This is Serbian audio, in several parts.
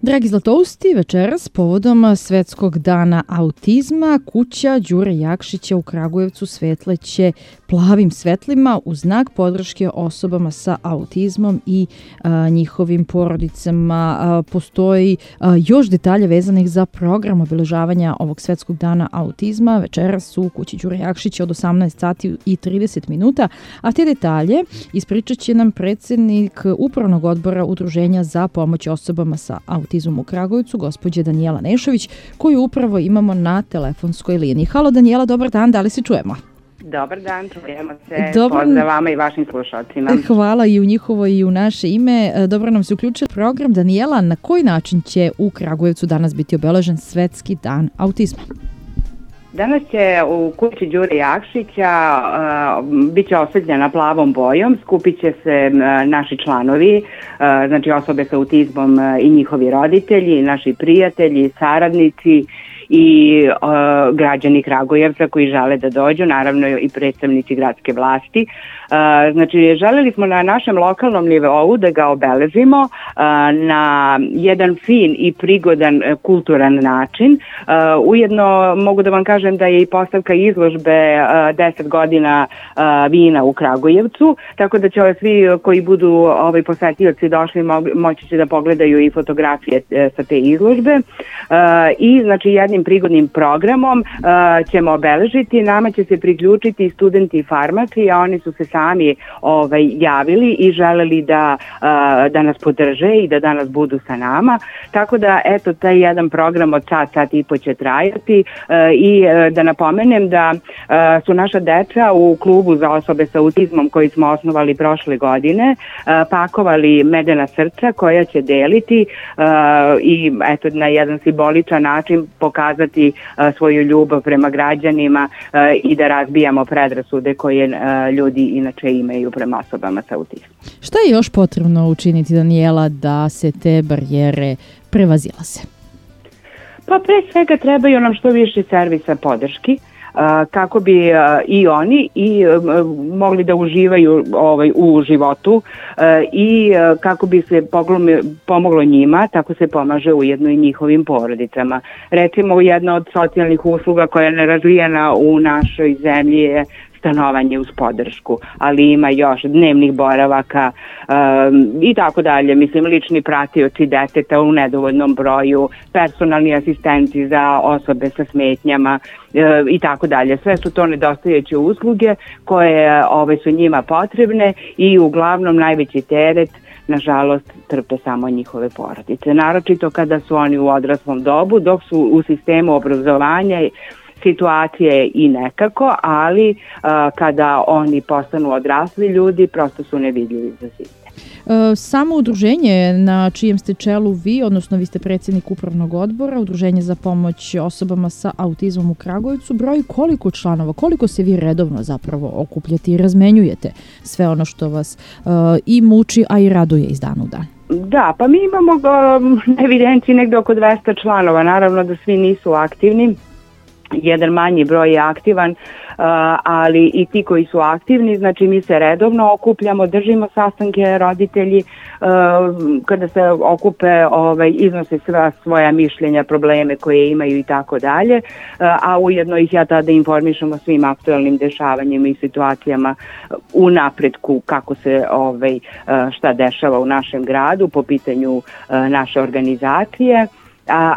Dragi Zlatousti, večeras povodom Svetskog dana autizma kuća Đure Jakšića u Kragujevcu svetleće plavim svetlima u znak podrške osobama sa autizmom i njihovim porodicama. Postoji još detalje vezanih za program obeležavanja ovog Svetskog dana autizma večeras u kući Đure Jakšića od 18 sati i 30 minuta, a te detalje ispričat će nam predsjednik Upravnog odbora Udruženja za pomoć osobama sa autizmom u Kragujevcu, gospođa Danijela Nešović, koju upravo imamo na telefonskoj liniji. Halo Danijela, dobar dan, da li se čujemo? Dobar dan, čujemo se. Pozdrav vama i vašim slušalcima. Hvala i u njihovo i u naše ime. Dobro nam se uključio program. Danijela, na koji način će u Kragujevcu danas biti obeležen Svetski dan autizma? Danas će u kući Đure Jakšića bit će osvetljena plavom bojom, skupit će se naši članovi, znači osobe sa autizmom i njihovi roditelji, naši prijatelji, saradnici i građani Kragujevca koji žele da dođu, naravno i predstavnici gradske vlasti. Znači, želeli smo na našem lokalnom nivou da ga obeležimo na jedan fin i prigodan kulturan način. Ujedno mogu da vam kažem da je i postavka izložbe 10 godina vina u Kragujevcu, tako da će svi koji budu posetioci došli moći će da pogledaju i fotografije sa te izložbe. I znači jednim prigodnim programom ćemo obeležiti, nama će se priključiti studenti farmaci, a oni su se sami javili i želeli da nas podrže i da danas budu sa nama. Tako da, eto, taj jedan program od sat i po će trajati i da napomenem da su naša deca u klubu za osobe sa autizmom koji smo osnovali prošle godine pakovali medena srca koja će deliti i eto na jedan simboličan način pokazati svoju ljubav prema građanima i da razbijamo predrasude koje ljudi inače imaju prema osobama sa autizmom. Šta je još potrebno učiniti, Danijela, da se te barijere prevazilaze? Pa pre svega trebaju nam što više servisa podrški kako bi i oni i mogli da uživaju u životu i kako bi se pomoglo njima, tako se pomaže ujedno i njihovim porodicama. Recimo, jedna od socijalnih usluga koja je nerazvijena u našoj zemlji je stanovanje uz podršku, ali ima još dnevnih boravaka i tako dalje. Mislim, lični pratioci deteta u nedovoljnom broju, personalni asistenti za osobe sa smetnjama i tako dalje. Sve su to nedostajeće usluge koje su njima potrebne i uglavnom najveći teret nažalost trpe samo njihove porodice. Naročito kada su oni u odraslom dobu, dok su u sistemu obrazovanja situacije i nekako, ali kada oni postanu odrasli ljudi, prosto su nevidljivi za sistem. Samo udruženje na čijem ste čelu vi, odnosno vi ste predsjednik Upravnog odbora, Udruženje za pomoć osobama sa autizmom u Kragujevcu, broji koliko članova, koliko se vi redovno zapravo okupljate i razmenjujete sve ono što vas i muči, a i raduje iz dana u dan? Da, pa mi imamo na evidenciji negde oko 200 članova, naravno da svi nisu aktivni. Jedan manji broj je aktivan, ali i ti koji su aktivni, znači mi se redovno okupljamo, držimo sastanke roditelji, kada se okupe iznose sva svoja mišljenja, probleme koje imaju i tako dalje, a ujedno ih ja tada informišem o svim aktualnim dešavanjima i situacijama u napretku kako se šta dešava u našem gradu po pitanju naše organizacije.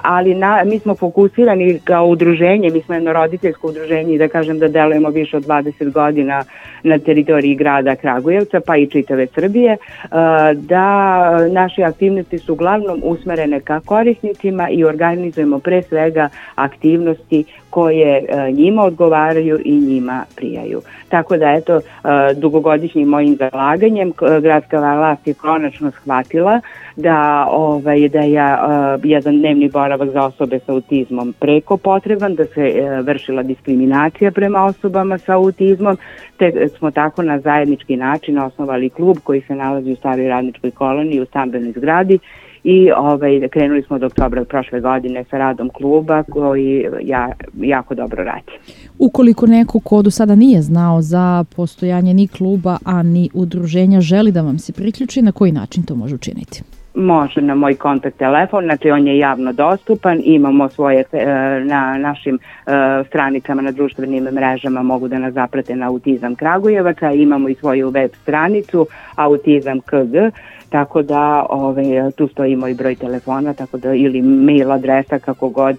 Ali mi smo fokusirani kao udruženje, mi smo jedno roditeljsko udruženje i da kažem da delujemo više od 20 godina na teritoriji grada Kragujevca pa i čitave Srbije, da naše aktivnosti su uglavnom usmerene ka korisnicima i organizujemo pre svega aktivnosti koje njima odgovaraju i njima prijaju. Tako da eto, dugogodišnjim mojim zalaganjem gradska vlast je konačno shvatila da je jedan dnevni boravak za osobe sa autizmom preko potreban, da se vršila diskriminacija prema osobama sa autizmom, te smo tako na zajednički način osnovali klub koji se nalazi u staroj radničkoj koloniji u stambenoj zgradi i krenuli smo od oktobra prošle godine sa radom kluba koji jako dobro radi. Ukoliko neko ko do sada nije znao za postojanje ni kluba, a ni udruženja želi da vam se priključi, na koji način to može učiniti? može na moj kontakt telefon, znači on je javno dostupan, imamo svoje na našim stranicama na društvenim mrežama, mogu da nas zaprate na Autizam Kragujevac, a imamo i svoju web stranicu Autizam KG, tako da tu stoji moj broj telefona, tako da ili mail adresa, kako god,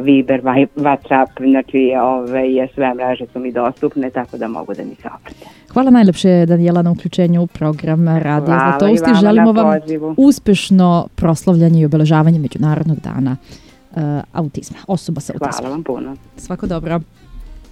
Viber, WhatsApp, znači sve mreže su mi dostupne, tako da mogu da mi se obrate. Hvala najlepše, Danijela, na uključenju u program Radija Zlatousti. Želimo vam uspešno proslavljanje i obeležavanje Međunarodnog dana autizma, osoba sa autizmom. Hvala vam puno. Svako dobro.